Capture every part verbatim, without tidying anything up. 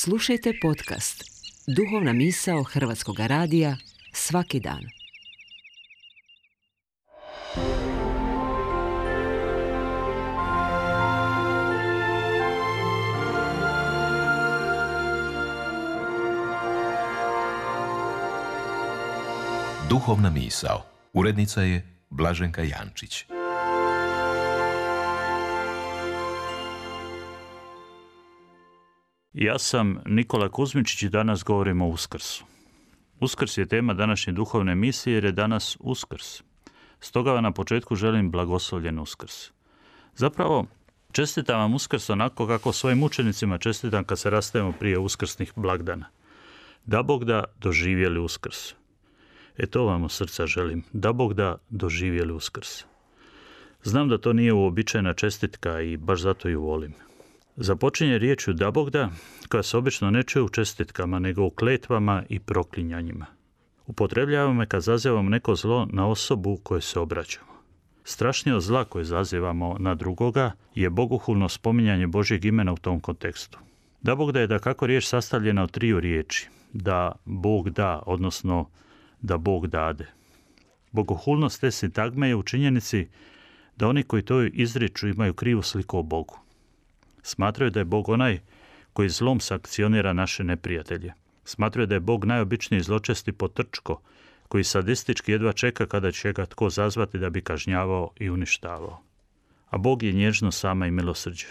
Slušajte podcast Duhovna misao Hrvatskog radija svaki dan. Duhovna misao. Urednica je Blaženka Jančić. Ja sam Nikola Kuzmičić i danas govorimo o Uskrsu. Uskrs je tema današnje duhovne misije jer je danas Uskrs. Stoga vam na početku želim blagoslovljen Uskrs. Zapravo, čestitam vam Uskrs onako kako svojim učenicima čestitam kad se rastajemo prije uskrsnih blagdana. Da Bog da doživjeli Uskrs. E to vam od srca želim. Da Bog da doživjeli Uskrs. Znam da to nije uobičajena čestitka i baš zato ju volim. Započinje riječju da Bog da, koja se obično ne čuje u čestitkama, nego u kletvama i proklinjanjima. Upotrebljavamo je kad zazivamo neko zlo na osobu kojoj se obraćamo. Strašnije od zla koje zazivamo na drugoga je bogohulno spominjanje Božjeg imena u tom kontekstu. Da Bog da je da kako riječ sastavljena od triju riječi. Da Bog da, odnosno da Bog dade. Bogohulnost te sintagme je u činjenici da oni koji to izriču imaju krivu sliku o Bogu. Smatraju da je Bog onaj koji zlom sankcionira naše neprijatelje. Smatraju da je Bog najobičniji zločesti potrčko, koji sadistički jedva čeka kada će ga tko zazvati da bi kažnjavao i uništavao. A Bog je nježno sama i milosrđe.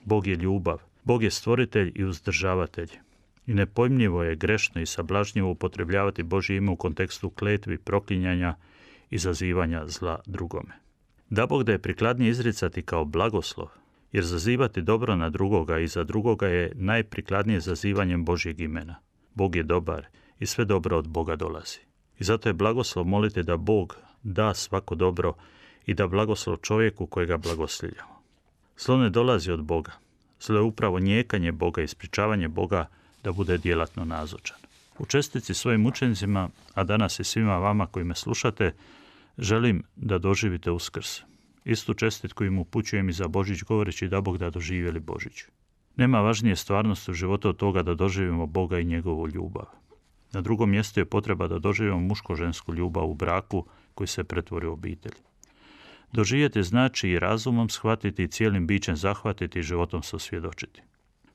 Bog je ljubav. Bog je stvoritelj i uzdržavatelj. I nepojmljivo je grešno i sablažnjivo upotrebljavati Božje ime u kontekstu kletvi, proklinjanja i zazivanja zla drugome. Da Bog da je prikladnije izricati kao blagoslov, jer zazivati dobro na drugoga i za drugoga je najprikladnije zazivanjem Božjeg imena. Bog je dobar i sve dobro od Boga dolazi. I zato je blagoslov moliti da Bog da svako dobro i da blagoslov čovjeku kojega blagosljivljamo. Zlo ne dolazi od Boga. Zlo je upravo njekanje Boga i sprječavanje Boga da bude djelatno nazočan. U čestici svojim učenicima, a danas i svima vama koji me slušate, želim da doživite Uskrs. Istu čestitku im upućujem i za Božić govoreći da Bog da doživjeli Božić. Nema važnije stvarnosti u životu od toga da doživimo Boga i njegovu ljubav. Na drugom mjestu je potreba da doživimo muško-žensku ljubav u braku koji se pretvori u obitelj. Doživjeti znači i razumom shvatiti i cijelim bićem zahvatiti i životom se osvjedočiti.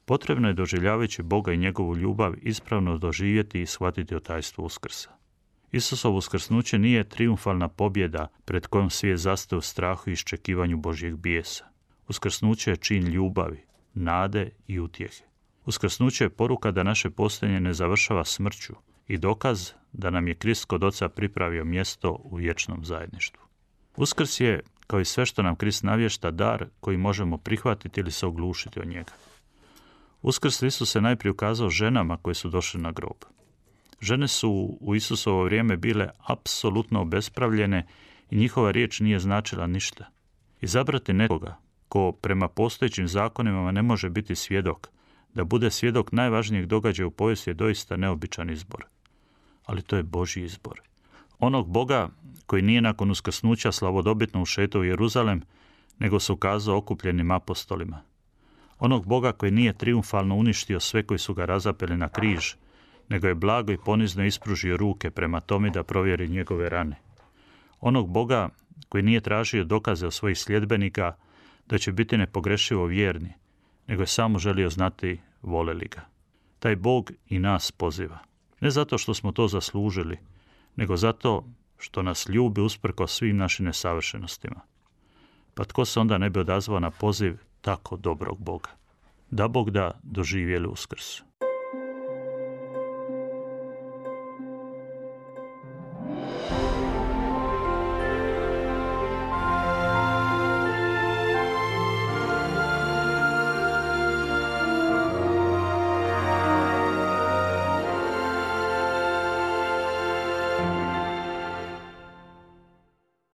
Potrebno je doživljavajući Boga i njegovu ljubav ispravno doživjeti i shvatiti o tajstvu Uskrsa. Isusovo uskrsnuće nije trijumfalna pobjeda pred kojom svijet zastaje u strahu i iščekivanju Božjeg bijesa. Uskrsnuće je čin ljubavi, nade i utjehe. Uskrsnuće je poruka da naše postojanje ne završava smrću i dokaz da nam je Krist kod Oca pripravio mjesto u vječnom zajedništvu. Uskrs je, kao i sve što nam Krist navješta, dar koji možemo prihvatiti ili se oglušiti od njega. Uskrs Isus se najprije ukazao ženama koje su došle na grob. Žene su u Isusovo vrijeme bile apsolutno obespravljene i njihova riječ nije značila ništa. Izabrati nekoga ko prema postojećim zakonima ne može biti svjedok, da bude svjedok najvažnijeg događaja u povijesti je doista neobičan izbor. Ali to je Božji izbor. Onog Boga koji nije nakon uskrsnuća slavodobitno ušetao u Jeruzalem, nego se ukazao okupljenim apostolima. Onog Boga koji nije trijumfalno uništio sve koji su ga razapeli na križ, nego je blago i ponizno ispružio ruke prema tome da provjeri njegove rane. Onog Boga koji nije tražio dokaze od svojih sljedbenika da će biti nepogrešivo vjerni, nego je samo želio znati vole li ga. Taj Bog i nas poziva. Ne zato što smo to zaslužili, nego zato što nas ljubi usprkos svim našim nesavršenostima. Pa tko se onda ne bi odazvao na poziv tako dobrog Boga? Da Bog da doživjeli Uskrs.